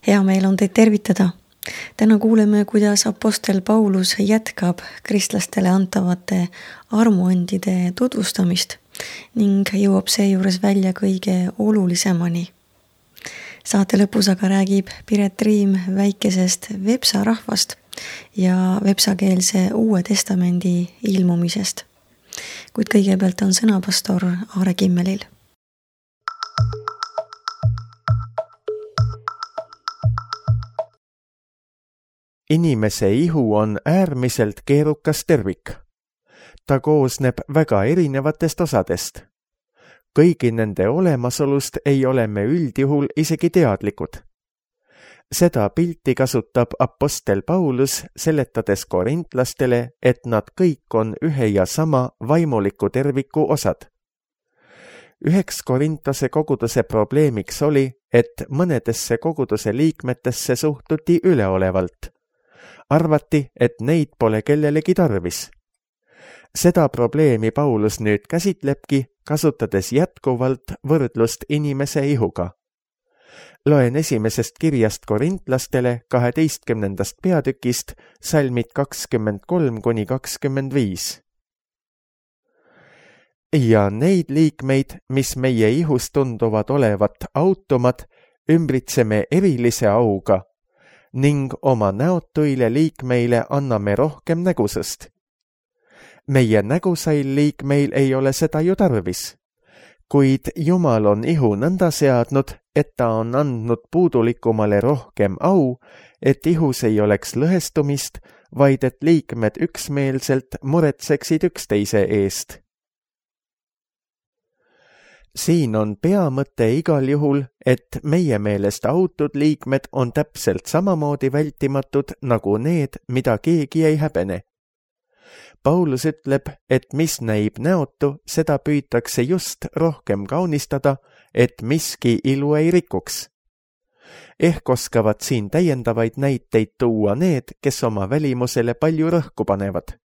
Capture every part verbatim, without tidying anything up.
Hea meel on teid tervitada. Täna kuuleme, kuidas apostel Paulus jätkab kristlastele antavate armuandide tutvustamist ning jõuab seejuures välja kõige olulisemani. Saate lõpus aga räägib Piret Riim väikesest Vepsa rahvast ja vepsakeelse Uue Testamendi ilmumisest. Kuid kõigepealt on sõna pastor Aare Kimmelil. Inimese ihu on äärmiselt keerukas tervik. Ta koosneb väga erinevatest osadest. Kõigi nende olemasolust ei ole me üldjuhul isegi teadlikud. Seda pilti kasutab apostel Paulus seletades korintlastele, et nad kõik on ühe ja sama vaimuliku terviku osad. Üheks Korintase koguduse probleemiks oli, et mõnedesse koguduse liikmetesse suhtuti üleolevalt. Arvati, et neid pole kellelegi tarvis. Seda probleemi Paulus nüüd käsitlebki, kasutades jätkuvalt võrdlust inimese ihuga. Loen esimesest kirjast korintlastele kaheteistkümnendast peatükist salmid kakskümmend kolm kuni kakskümmend viis. Ja neid liikmeid, mis meie ihus tunduvad olevat automad, ümbritseme erilise auga ning oma näotuile liikmeile anname rohkem nägusust. Meie nägusail liikmeil ei ole seda ju tarvis, kuid Jumal on ihu nõnda seadnud, et ta on andnud puudulikumale rohkem au, et ihus ei oleks lõhestumist, vaid et liikmed üksmeelselt muretseksid üksteise eest. Siin on peamõte igal juhul, et meie meelest autud liikmed on täpselt samamoodi vältimatud nagu need, mida keegi ei häbene. Paulus ütleb, et mis näib näotu, seda püütakse just rohkem kaunistada, et miski ilu ei rikuks. Ehk oskavad siin täiendavaid näiteid tuua need, kes oma välimusele palju rõhku panevad.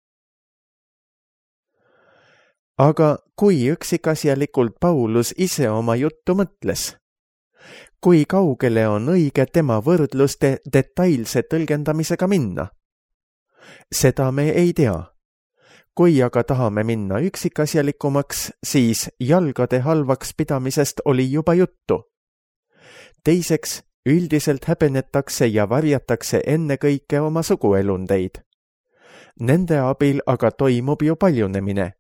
Aga kui üksikasjalikult Paulus ise oma juttu mõtles? Kui kaugele on õige tema võrdluste detailse tõlgendamisega minna? Seda me ei tea. Kui aga tahame minna üksikasjalikumaks, siis jalgade halvaks pidamisest oli juba juttu. Teiseks, üldiselt häbenetakse ja varjatakse ennekõike oma suguelundeid. Nende abil aga toimub ju paljunemine.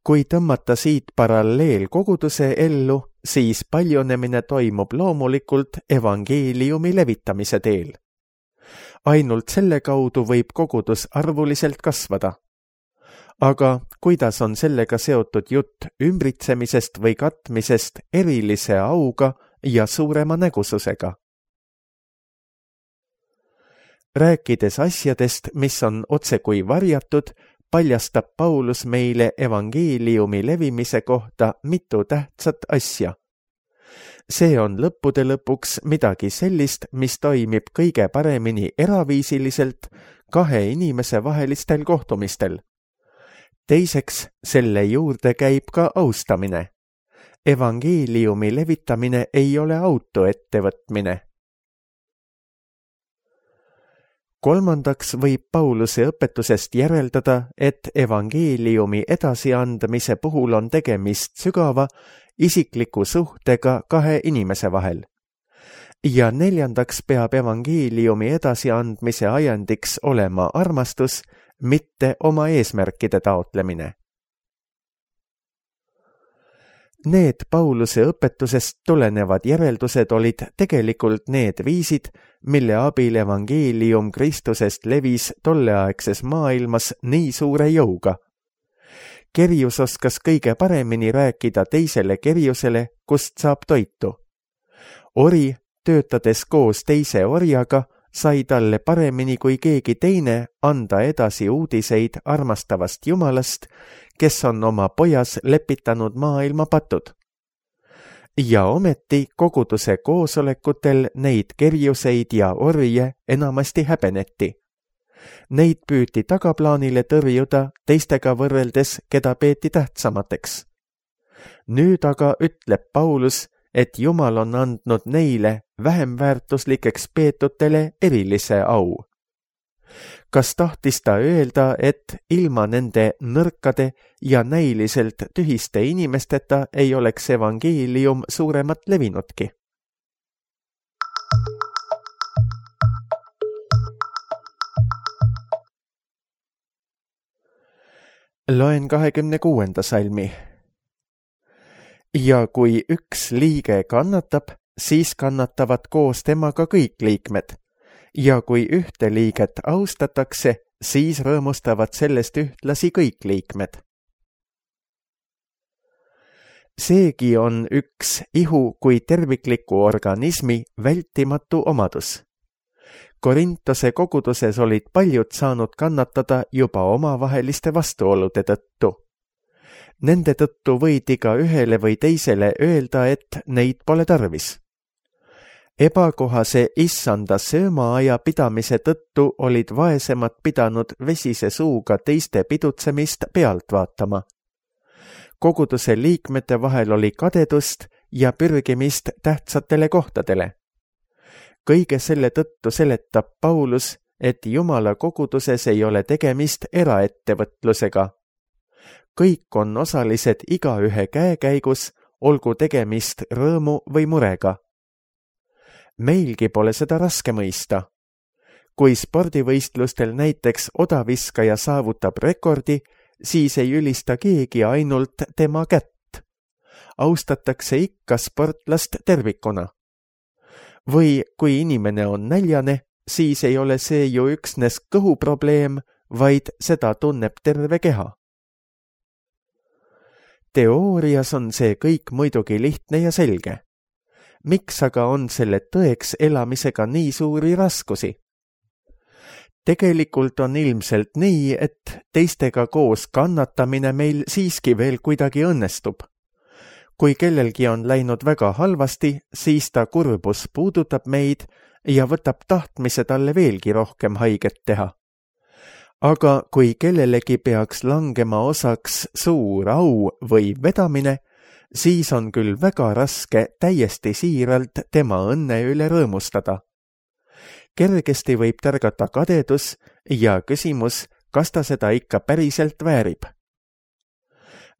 Kui tõmmata siit paralleel koguduse ellu, siis paljunemine toimub loomulikult evangeeliumi levitamise teel. Ainult selle kaudu võib kogudus arvuliselt kasvada. Aga kuidas on sellega seotud jutt ümbritsemisest või katmisest erilise auga ja suurema nägususega? Rääkides asjadest, mis on otsekui varjatud, paljastab Paulus meile evangeeliumi levimise kohta mitu tähtsat asja. See on lõppude lõpuks midagi sellist, mis toimib kõige paremini eraviisiliselt kahe inimese vahelistel kohtumistel. Teiseks, selle juurde käib ka austamine. Evangeeliumi levitamine ei ole auto ettevõtmine. Kolmandaks võib Pauluse õpetusest järeldada, et evangeeliumi edasiandmise puhul on tegemist sügava, isikliku suhtega kahe inimese vahel. Ja neljandaks peab evangeeliumi edasiandmise ajendiks olema armastus, mitte oma eesmärkide taotlemine. Need Pauluse õpetusest tulenevad järeldused olid tegelikult need viisid, mille abil evangeelium Kristusest levis tolleaegses maailmas nii suure jõuga. Kerjus oskas kõige paremini rääkida teisele kerjusele, kust saab toitu. Ori, töötades koos teise orjaga, sai talle paremini kui keegi teine anda edasi uudiseid armastavast Jumalast, kes on oma pojas lepitanud maailma patud. Ja ometi koguduse koosolekutel neid kerjuseid ja orje enamasti häbeneti. Neid püüti tagaplaanile tõrjuda teistega võrreldes, keda peeti tähtsamateks. Nüüd aga ütleb Paulus, et Jumal on andnud neile vähem väärtuslikeks peetutele erilise au. Kas tahtis ta öelda, et ilma nende nõrkade ja näiliselt tühiste inimesteta ei oleks evangeelium suuremat levinudki? Loen kahekümne kuuenda salmi. Ja kui üks liige kannatab, siis kannatavad koos temaga kõik liikmed. Ja kui ühte liiget austatakse, siis rõõmustavad sellest ühtlasi kõik liikmed. Seegi on üks ihu kui tervikliku organismi vältimatu omadus. Korintose koguduses olid paljud saanud kannatada juba omavaheliste vastuolude tõttu. Nende tõttu võidi ka ühele või teisele öelda, et neid pole tarvis. Ebakohase issanda söömaaja pidamise tõttu olid vaesemad pidanud vesise suuga teiste pidutsemist pealt vaatama. Koguduse liikmete vahel oli kadedust ja pürgimist tähtsatele kohtadele. Kõige selle tõttu seletab Paulus, et Jumala koguduses ei ole tegemist eraettevõtlusega. Kõik on osalised igaühe käekäigus, olgu tegemist rõõmu või murega. Meilgi pole seda raske mõista. Kui spordivõistlustel näiteks odaviskaja saavutab rekordi, siis ei ülista keegi ainult tema kätt. Austatakse ikka sportlast tervikuna. Või kui inimene on näljane, siis ei ole see ju üksnes kõhuprobleem, vaid seda tunneb terve keha. Teoorias on see kõik muidugi lihtne ja selge. Miks aga on selle tõeks elamisega nii suuri raskusi? Tegelikult on ilmselt nii, et teistega koos kannatamine meil siiski veel kuidagi õnnestub. Kui kellelgi on läinud väga halvasti, siis ta kurbus puudutab meid ja võtab tahtmise talle veelgi rohkem haiget teha. Aga kui kellelegi peaks langema osaks suur au või vedamine, siis on küll väga raske täiesti siiralt tema õnne üle rõõmustada. Kergesti võib tärgata kadedus ja küsimus, kas ta seda ikka päriselt väärib.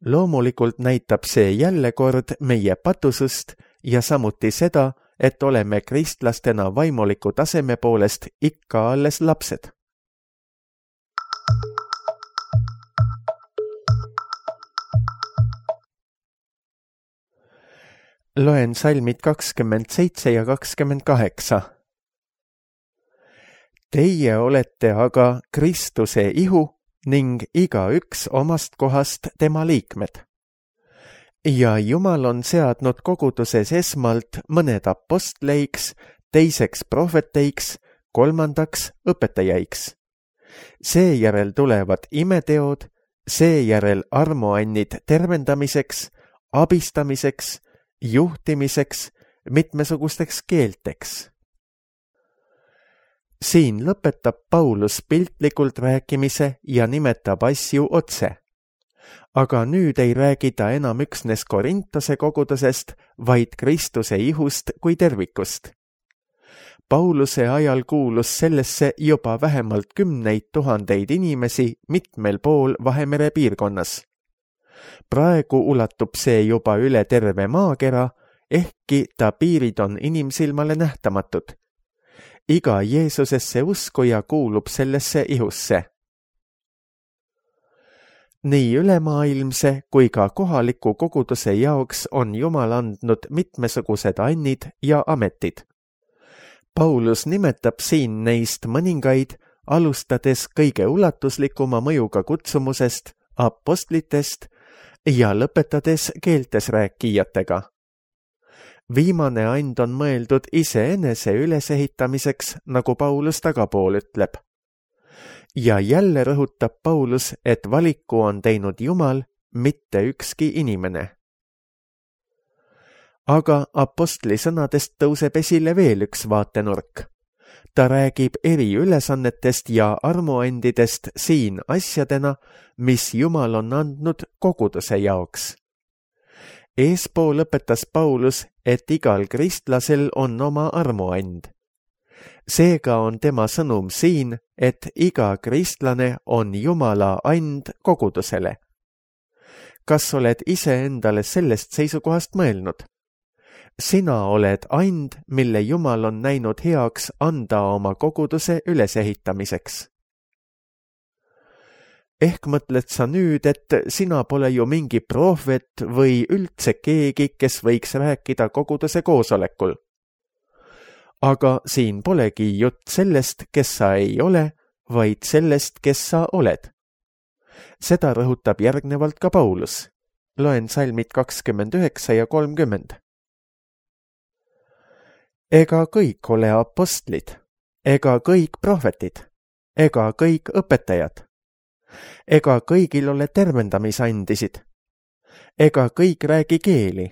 Loomulikult näitab see jälle kord meie patusust ja samuti seda, et oleme kristlastena vaimuliku taseme poolest ikka alles lapsed. Loen salmid kakskümmend seitse ja kakskümmend kaheksa. Teie olete aga Kristuse ihu ning igaüks omast kohast tema liikmed. Ja Jumal on seadnud koguduses esmalt mõned apostleiks, teiseks prohveteiks, kolmandaks õpetajaiks. Seejärel tulevad imeteod, seejärel armuannid tervendamiseks, abistamiseks, juhtimiseks, mitmesugusteks keelteks. Siin lõpetab Paulus piltlikult rääkimise ja nimetab asju otse. Aga nüüd ei räägi ta enam üksnes Korintose kogudusest, vaid Kristuse ihust kui tervikust. Pauluse ajal kuulus sellesse juba vähemalt kümneid tuhandeid inimesi mitmel pool Vahemere piirkonnas. Praegu ulatub see juba üle terve maakera, ehkki ta piirid on inimsilmale nähtamatud. Iga Jeesusesse uskuja kuulub sellesse ihusse. Nii ülemaailmse kui ka kohaliku koguduse jaoks on Jumal andnud mitmesugused annid ja ametid. Paulus nimetab siin neist mõningaid, alustades kõige ulatuslikuma mõjuga kutsumusest, apostlitest ja lõpetades keeltes rääkijatega. Viimane and on mõeldud iseenese ülesehitamiseks, nagu Paulus tagapool ütleb. Ja jälle rõhutab Paulus, et valiku on teinud Jumal, mitte ükski inimene. Aga apostli sõnadest tõuseb esile veel üks vaatenurk. Ta räägib eri ülesannetest ja armuandidest siin asjadena, mis Jumal on andnud koguduse jaoks. Eespool õpetas Paulus, et igal kristlasel on oma armuand. Seega on tema sõnum siin, et iga kristlane on Jumala and kogudusele. Kas oled ise endale sellest seisukohast mõelnud? Sina oled and, mille Jumal on näinud heaks anda oma koguduse ülesehitamiseks. Ehk mõtled sa nüüd, et sina pole ju mingi prohvet või üldse keegi, kes võiks rääkida koguduse koosolekul. Aga siin polegi jutt sellest, kes sa ei ole, vaid sellest, kes sa oled. Seda rõhutab järgnevalt ka Paulus. Loen salmid kakskümmend üheksa ja kolmkümmend. Ega kõik ole apostlid, ega kõik prohvetid, ega kõik õpetajad, ega kõigil ole tervendamisandisid, ega kõik räägi keeli,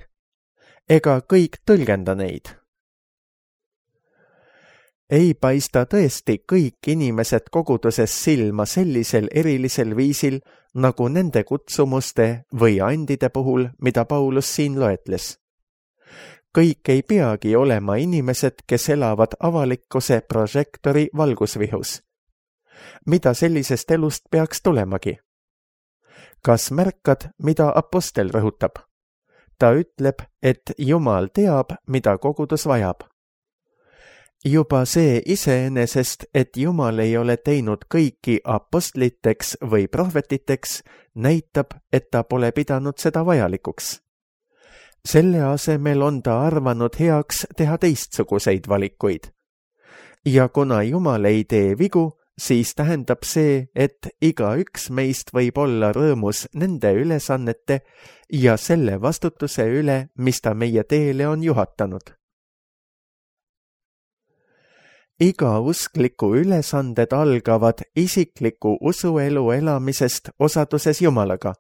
ega kõik tõlgenda neid. Ei paista tõesti kõik inimesed koguduses silma sellisel erilisel viisil, nagu nende kutsumuste või andide puhul, mida Paulus siin loetles. Kõik ei peagi olema inimesed, kes elavad avalikkuse prožektori valgusvihus. Mida sellisest elust peaks tulemagi? Kas märkad, mida apostel rõhutab? Ta ütleb, et Jumal teab, mida kogudus vajab. Juba see iseenesest, et Jumal ei ole teinud kõiki apostliteks või prohvetiteks, näitab, et ta pole pidanud seda vajalikuks. Selle asemel on ta arvanud heaks teha teistsuguseid valikuid. Ja kuna Jumal ei tee vigu, siis tähendab see, et iga üks meist võib olla rõõmus nende ülesannete ja selle vastutuse üle, mis ta meie teele on juhatanud. Iga uskliku ülesanded algavad isikliku usuelu elamisest osaduses Jumalaga.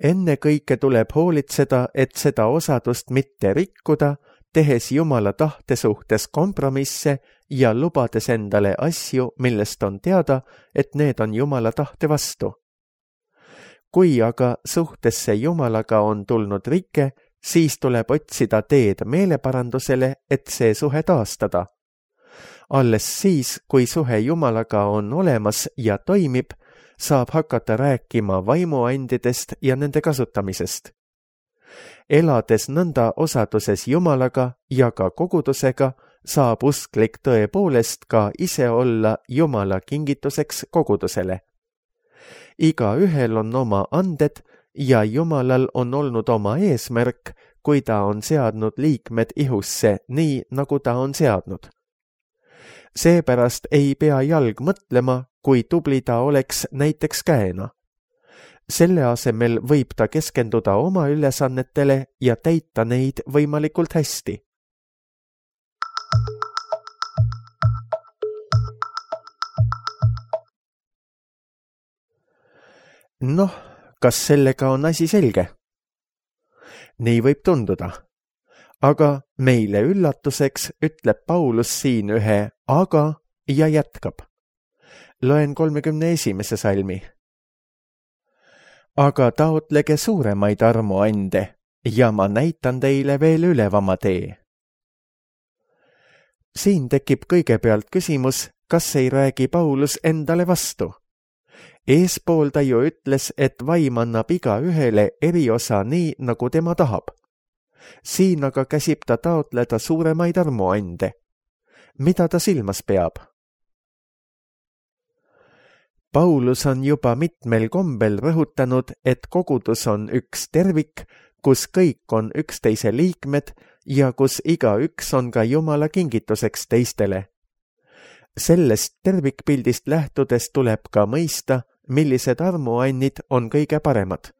Enne kõike tuleb hoolitseda, et seda osadust mitte rikkuda, tehes Jumala tahte suhtes kompromisse ja lubades endale asju, millest on teada, et need on Jumala tahte vastu. Kui aga suhtesse Jumalaga on tulnud rike, siis tuleb otsida teed meeleparandusele, et see suhe taastada. Alles siis, kui suhe Jumalaga on olemas ja toimib, saab hakata rääkima vaimuandidest ja nende kasutamisest. Elades nõnda osaduses Jumalaga ja ka kogudusega, saab usklik tõepoolest ka ise olla Jumala kingituseks kogudusele. Iga ühel on oma anded ja Jumalal on olnud oma eesmärk, kui ta on seadnud liikmed ihusse nii, nagu ta on seadnud. Seepärast ei pea jalg mõtlema, kui tubli ta oleks näiteks käena. Selle asemel võib ta keskenduda oma ülesannetele ja täita neid võimalikult hästi. Noh, kas sellega on asi selge? Nii võib tunduda. Aga meile üllatuseks ütleb Paulus siin ühe aga ja jätkab. Loen kolmekümne esimese salmi. Aga taotlege suuremaid armuande ja ma näitan teile veel ülevama tee. Siin tekib kõigepealt küsimus, kas ei räägi Paulus endale vastu. Eespool ta ju ütles, et vaim annab iga ühele eriosa nii, nagu tema tahab. Siin aga käsib ta taotleda suuremaid armuande. Mida ta silmas peab? Paulus on juba mitmel kombel rõhutanud, et kogudus on üks tervik, kus kõik on üksteise liikmed ja kus iga üks on ka Jumala kingituseks teistele. Sellest tervikpildist lähtudes tuleb ka mõista, millised armuannid on kõige paremad.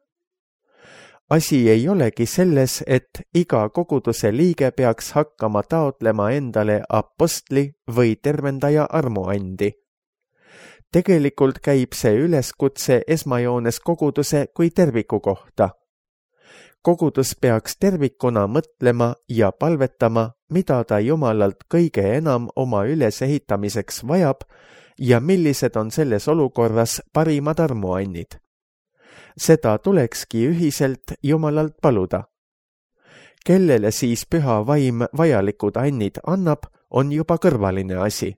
Asi ei olegi selles, et iga koguduse liige peaks hakkama taotlema endale apostli või tervendaja armuandi. Tegelikult käib see üleskutse esmajoones koguduse kui terviku kohta. Kogudus peaks tervikuna mõtlema ja palvetama, mida ta Jumalalt kõige enam oma ülesehitamiseks vajab ja millised on selles olukorras parimad armuannid. Seda tulekski ühiselt Jumalalt paluda. Kellele siis püha vaim vajalikud annid annab, on juba kõrvaline asi.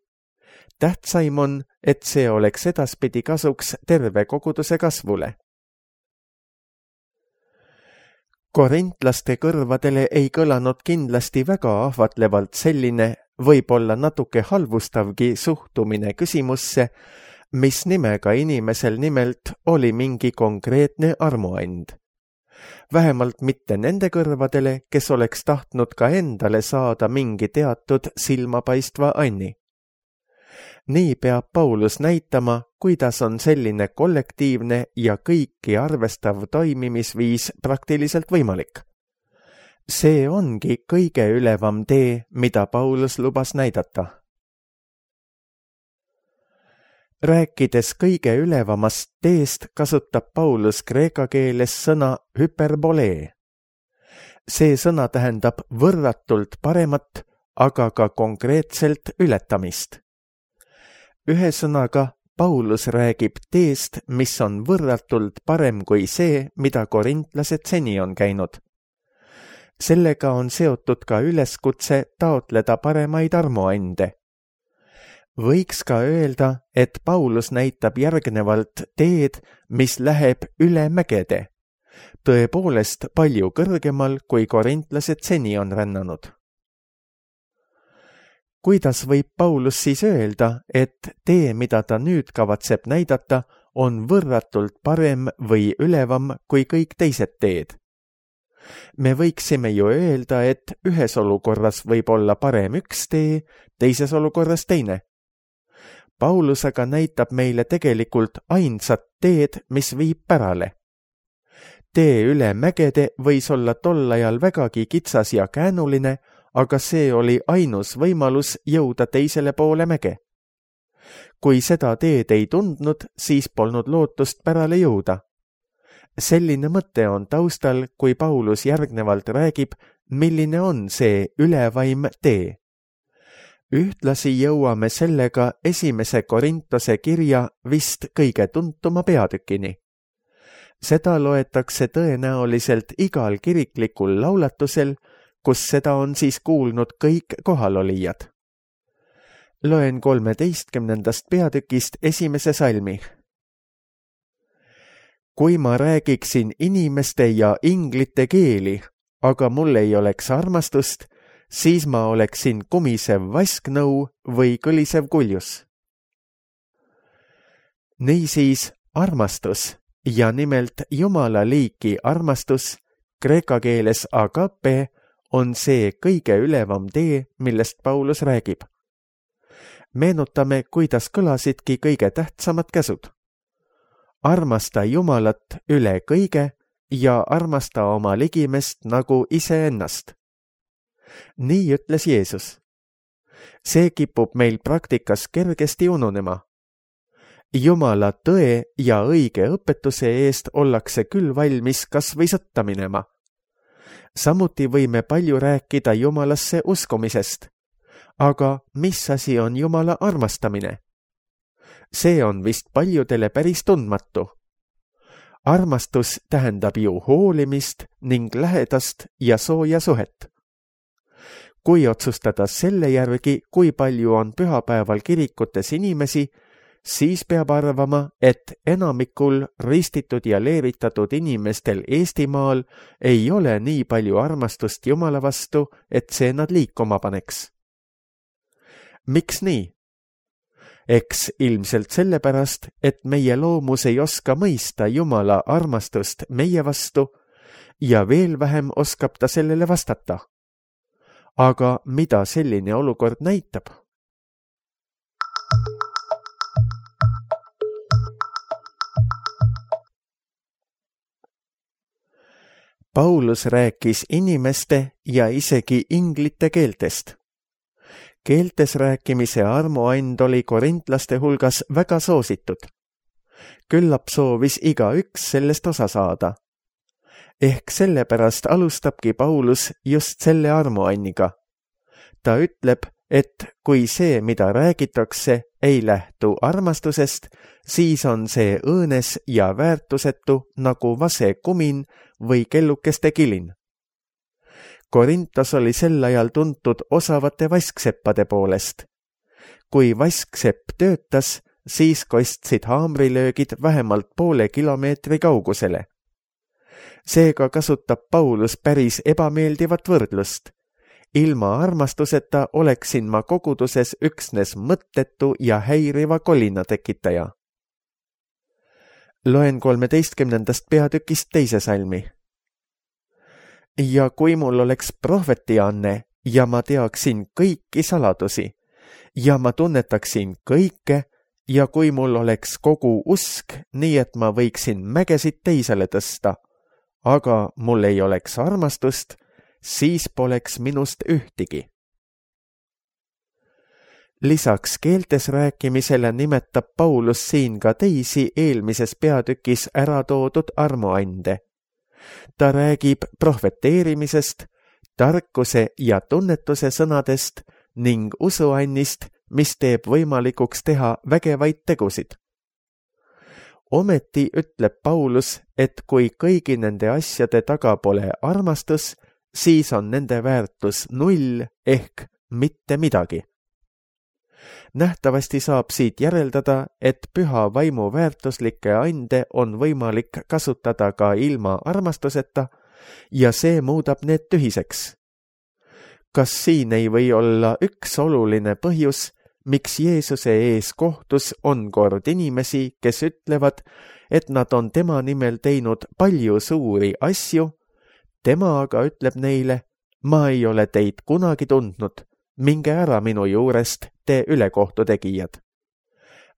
Tähtsaim on, et see oleks edaspidi kasuks terve koguduse kasvule. Korintlaste kõrvadele ei kõlanud kindlasti väga ahvatlevalt selline, võib-olla natuke halvustavgi suhtumine küsimusse, mis nimega inimesel nimelt oli mingi konkreetne armuand. Vähemalt mitte nende kõrvadele, kes oleks tahtnud ka endale saada mingi teatud silmapaistva anni. Nii peab Paulus näitama, kuidas on selline kollektiivne ja kõiki arvestav toimimisviis praktiliselt võimalik. See ongi kõige ülevam tee, mida Paulus lubas näidata. Rääkides kõige ülevamast teest, kasutab Paulus kreeka keeles sõna hyperbolee. See sõna tähendab võrratult paremat, aga ka konkreetselt ületamist. Ühesõnaga, Paulus räägib teest, mis on võrratult parem kui see, mida korintlased seni on käinud. Sellega on seotud ka üleskutse taotleda paremaid armuande. Võiks ka öelda, et Paulus näitab järgnevalt teed, mis läheb üle mägede, tõepoolest palju kõrgemal, kui korintlased seni on rännanud. Kuidas võib Paulus siis öelda, et tee, mida ta nüüd kavatseb näidata, on võrratult parem või ülevam kui kõik teised teed? Me võiksime ju öelda, et ühes olukorras võib olla parem üks tee, teises olukorras teine. Paulus aga näitab meile tegelikult ainsat teed, mis viib pärale. Tee üle mägede võis olla tol ajal vägagi kitsas ja käänuline, aga see oli ainus võimalus jõuda teisele poole mäge. Kui seda teed ei tundnud, siis polnud lootust pärale jõuda. Selline mõte on taustal, kui Paulus järgnevalt räägib, milline on see ülevaim tee. Ühtlasi jõuame sellega esimese Korintose kirja vist kõige tuntuma peatükini. Seda loetakse tõenäoliselt igal kiriklikul laulatusel, kus seda on siis kuulnud kõik kohalolijad. Loen kolmeteistkümnendast peatükist esimese salmi. Kui ma räägiksin inimeste ja inglite keeli, aga mul ei oleks armastust, siis ma oleksin kumisev vasknõu või kõlisev kuljus. Niisiis armastus, ja nimelt Jumala liiki armastus, kreeka keeles agape, on see kõige ülevam tee, millest Paulus räägib. Meenutame, kuidas kõlasidki kõige tähtsamad käsud. Armasta Jumalat üle kõige ja armasta oma ligimest nagu iseennast. Nii ütles Jeesus. See kipub meil praktikas kergesti ununema. Jumala tõe ja õige õpetuse eest ollakse küll valmis kas või sõtta minema. Samuti võime palju rääkida Jumalasse uskumisest. Aga mis asi on Jumala armastamine? See on vist paljudele päris tundmatu. Armastus tähendab ju hoolimist ning lähedast ja sooja suhet. Kui otsustada selle järgi, kui palju on pühapäeval kirikutes inimesi, siis peab arvama, et enamikul ristitud ja leevitatud inimestel Eestimaal ei ole nii palju armastust Jumala vastu, et see nad liikuma paneks. Miks nii? Eks ilmselt sellepärast, et meie loomus ei oska mõista Jumala armastust meie vastu ja veel vähem oskab ta sellele vastata. Aga mida selline olukord näitab? Paulus rääkis inimeste ja isegi inglite keeltest. Keeltes rääkimise armuand oli korintlaste hulgas väga soositud. Küllap soovis igaüks sellest osa saada. Ehk sellepärast alustabki Paulus just selle armuanniga. Ta ütleb, et kui see, mida räägitakse, ei lähtu armastusest, siis on see õõnes ja väärtusetu nagu vase kumin või kellukeste kilin. Korintos oli sel ajal tuntud osavate vaskseppade poolest. Kui vasksepp töötas, siis kostsid haamrilöögid vähemalt poole kilomeetri kaugusele. Seega kasutab Paulus päris ebameeldivat võrdlust. Ilma armastuseta oleksin ma koguduses üksnes mõttetu ja häiriva kolina tekitaja. Loen kolmeteistkümnendast peatükist teise salmi. Ja kui mul oleks prohvetianne ja ma teaksin kõiki saladusi ja ma tunnetaksin kõike ja kui mul oleks kogu usk, nii et ma võiksin mägesid teisele tõsta, aga mul ei oleks armastust, siis poleks minust ühtigi. Lisaks keeltes rääkimisele nimetab Paulus siin ka teisi eelmises peatükis ära toodud armuande. Ta räägib prohveteerimisest, tarkuse ja tunnetuse sõnadest ning usuannist, mis teeb võimalikuks teha vägevaid tegusid. Ometi ütleb Paulus, et kui kõigi nende asjade taga pole armastus, siis on nende väärtus null ehk mitte midagi. Nähtavasti saab siit järeldada, et püha vaimu väärtuslikke ande on võimalik kasutada ka ilma armastuseta ja see muudab need tühiseks. Kas siin ei või olla üks oluline põhjus, miks Jeesuse ees kohtus on kord inimesi, kes ütlevad, et nad on tema nimel teinud palju suuri asju, tema aga ütleb neile, ma ei ole teid kunagi tundnud, minge ära minu juurest, te ülekohtu tegijad.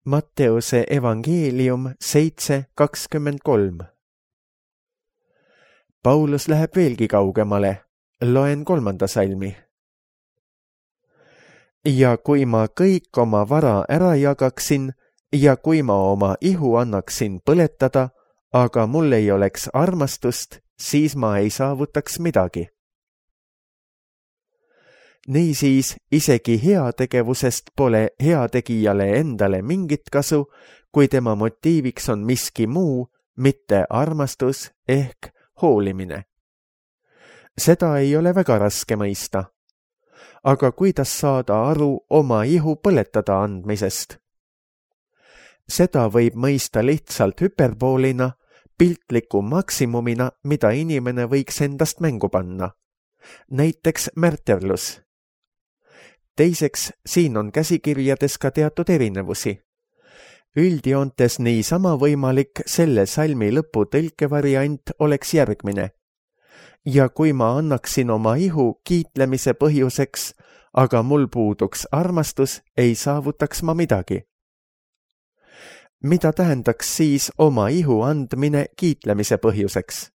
Matteuse evangeelium seitse kakskümmend kolm. Paulus läheb veelgi kaugemale, loen kolmanda salmi. Ja kui ma kõik oma vara ära jagaksin ja kui ma oma ihu annaksin põletada, aga mul ei oleks armastust, siis ma ei saavutaks midagi. Niisiis, isegi heategevusest pole heategijale endale mingit kasu, kui tema motiiviks on miski muu, mitte armastus ehk hoolimine. Seda ei ole väga raske mõista. Aga kuidas saada aru oma ihu põletada andmisest? Seda võib mõista lihtsalt hüperboolina, piltliku maksimumina, mida inimene võiks endast mängu panna. Näiteks märterlus. Teiseks, siin on käsikirjades ka teatud erinevusi. Üldjoontes niisama võimalik selle salmi lõpu tõlkevariant oleks järgmine. Ja kui ma annaksin oma ihu kiitlemise põhjuseks, aga mul puuduks armastus, ei saavutaks ma midagi. Mida tähendaks siis oma ihu andmine kiitlemise põhjuseks?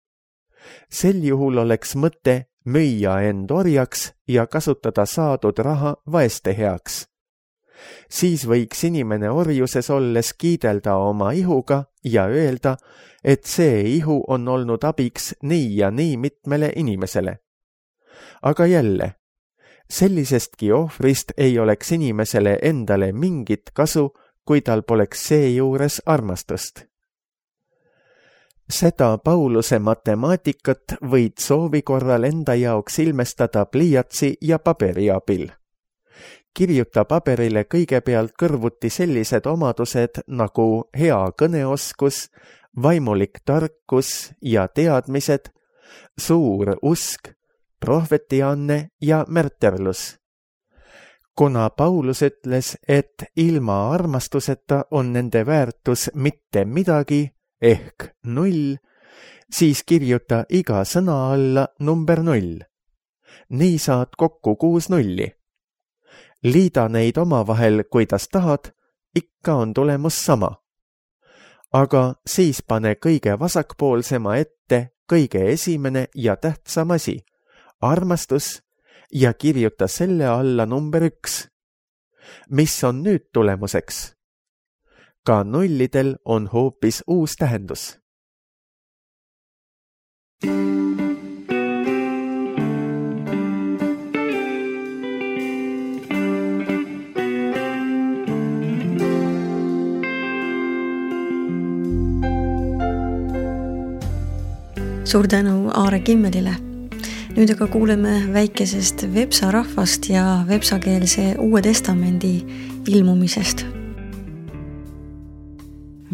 Sel juhul oleks mõte müüa end orjaks ja kasutada saadud raha vaeste heaks. Siis võiks inimene orjuses olles kiidelda oma ihuga ja öelda, et see ihu on olnud abiks nii ja nii mitmele inimesele. Aga jälle, sellisestki ohvrist ei oleks inimesele endale mingit kasu, kui tal poleks seejuures armastust. Seda Pauluse matemaatikat võid soovi korral enda jaoks ilmestada pliiatsi ja paberi abil. Kirjuta paberile kõigepealt kõrvuti sellised omadused nagu hea kõneoskus, vaimulik tarkus ja teadmised, suur usk, prohvetianne ja märterlus. Kuna Paulus ütles, et ilma armastuseta on nende väärtus mitte midagi ehk null, siis kirjuta iga sõna alla number null. Nii saad kokku kuus nulli. Liida neid omavahel, kuidas tahad, ikka on tulemus sama. Aga siis pane kõige vasakpoolsema ette kõige esimene ja tähtsam asi, armastus, ja kirjuta selle alla number üks. Mis on nüüd tulemuseks? Ka nullidel on hoopis uus tähendus. suur tänu Aare Kimmelile. Nüüd aga kuuleme väikesest Vepsa rahvast ja vepsakeelse Uue Testamendi ilmumisest.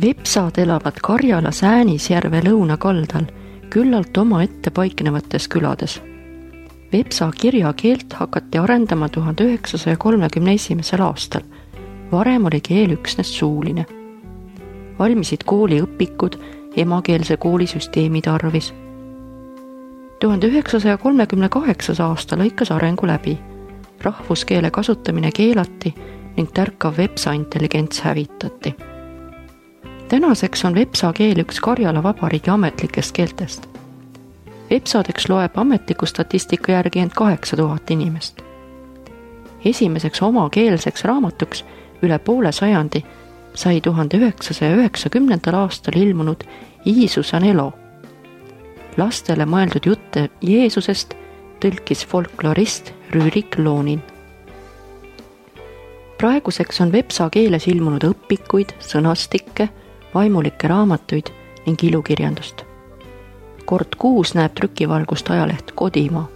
Vepsad elavad Karjala Säänisjärve lõunakaldal, küllalt oma ette paiknevates külades. Vepsa kirjakeelt hakati arendama tuhande üheksasaja kolmekümne esimesel aastal. Varem oli keel üksnes suuline. Valmisid kooliõpikud emakeelse koolisüsteemi tarvis. tuhande üheksasaja kolmekümne kaheksas aasta lõikas arengu läbi. Rahvuskeele kasutamine keelati ning tärkav vepsa intelligents hävitati. Tänaseks on vepsa keel üks Karjala Vabariigi ametlikest keeltest. Vepsadeks loeb ametliku statistika järgi end kaheksa tuhat inimest. Esimeseks omakeelseks raamatuks üle poole sajandi sai tuhande üheksasaja üheksakümnendal aastal ilmunud Iisus on elo. Lastele mõeldud jutte Jeesusest tõlkis folklorist Rüürik Loonin. Praeguseks on vepsa keeles ilmunud õpikuid, sõnastikke, vaimulikke raamatuid ning ilukirjandust. Kord kuus näeb trükivalgust ajaleht Kodimaa.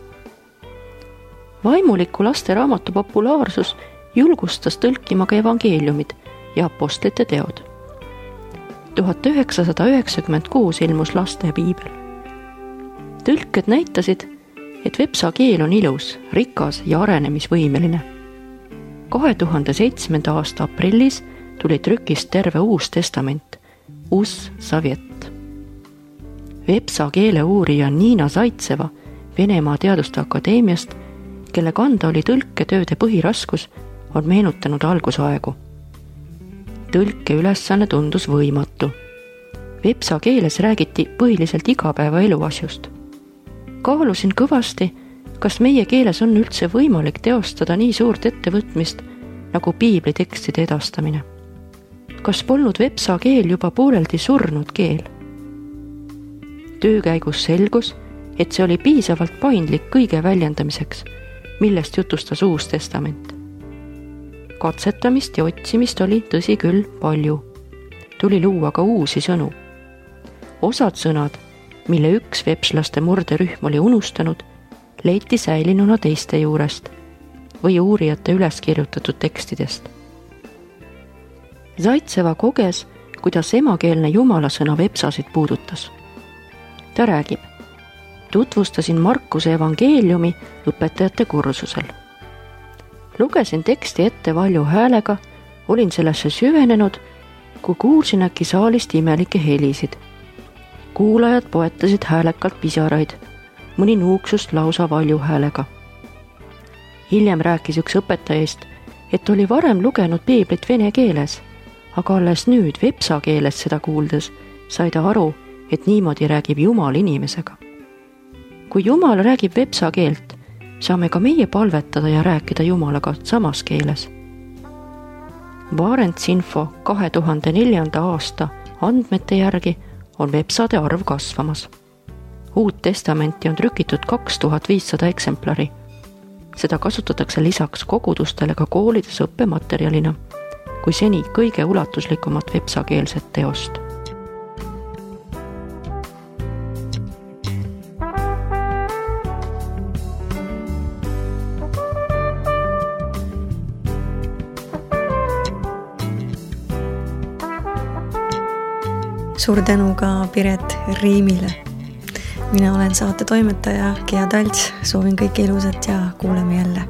Vaimuliku laste raamatu populaarsus julgustas tõlkima ka evangeeliumid ja apostlite teod. tuhat üheksasada üheksakümmend kuus ilmus laste piibel. Tõlked näitasid, et vepsa keel on ilus, rikas ja arenemisvõimeline. kahe tuhande seitsmenda aasta aprillis tuli trükist terve Uus Testament, Us Savjet. Vepsa keele uurija Niina Zaitseva Venemaa Teaduste Akadeemiast, kelle kanda oli tõlketööde põhiraskus, on meenutanud algusaegu. Tõlke ülesanne tundus võimatu. Vepsa keeles räägiti põhiliselt igapäeva eluasjust. Kaalusin kõvasti, kas meie keeles on üldse võimalik teostada nii suurt ettevõtmist nagu piibli tekstide edastamine. Kas polnud vepsa keel juba pooleldi surnud keel? Töö käigus selgus, et see oli piisavalt paindlik kõige väljendamiseks, millest jutustas Uus Testament. Katsetamist ja otsimist oli tõsi küll palju. Tuli luua ka uusi sõnu. Osad sõnad, mille üks vepslaste murderühm oli unustanud, leiti säilinuna teiste juurest või uurijate üles kirjutatud tekstidest. Zaitseva koges, kuidas emakeelne jumalasõna vepsasid puudutas. Ta räägib, tutvustasin Markuse evangeeliumi õpetajate kursusel. Lugesin teksti ette valju häälega, olin sellesse süvenenud, kui kuulsin äkki saalist imelikke helisid. Kuulajad poetasid häälekalt pisaraid, mõni nuuksust lausa valju häälega. Hiljem rääkis üks õpetajast, et oli varem lugenud piiblit vene keeles, aga alles nüüd vepsa keeles seda kuuldes sai ta aru, et niimoodi räägib Jumal inimesega. Kui Jumal räägib vepsa keelt, saame ka meie palvetada ja rääkida Jumalaga samas keeles. Barents Info kahe tuhande neljanda aasta andmete järgi on vepsade arv kasvamas. Uut testamenti on trükitud kaks tuhat viissada eksemplari. Seda kasutatakse lisaks kogudustele ka koolides õppematerjalina, kui seni kõige ulatuslikumat vepsakeelset teost. Suur tänu ka Piret Riimile. Mina olen saate toimetaja Gea Talts, soovin kõike ilusat ja kuuleme jälle.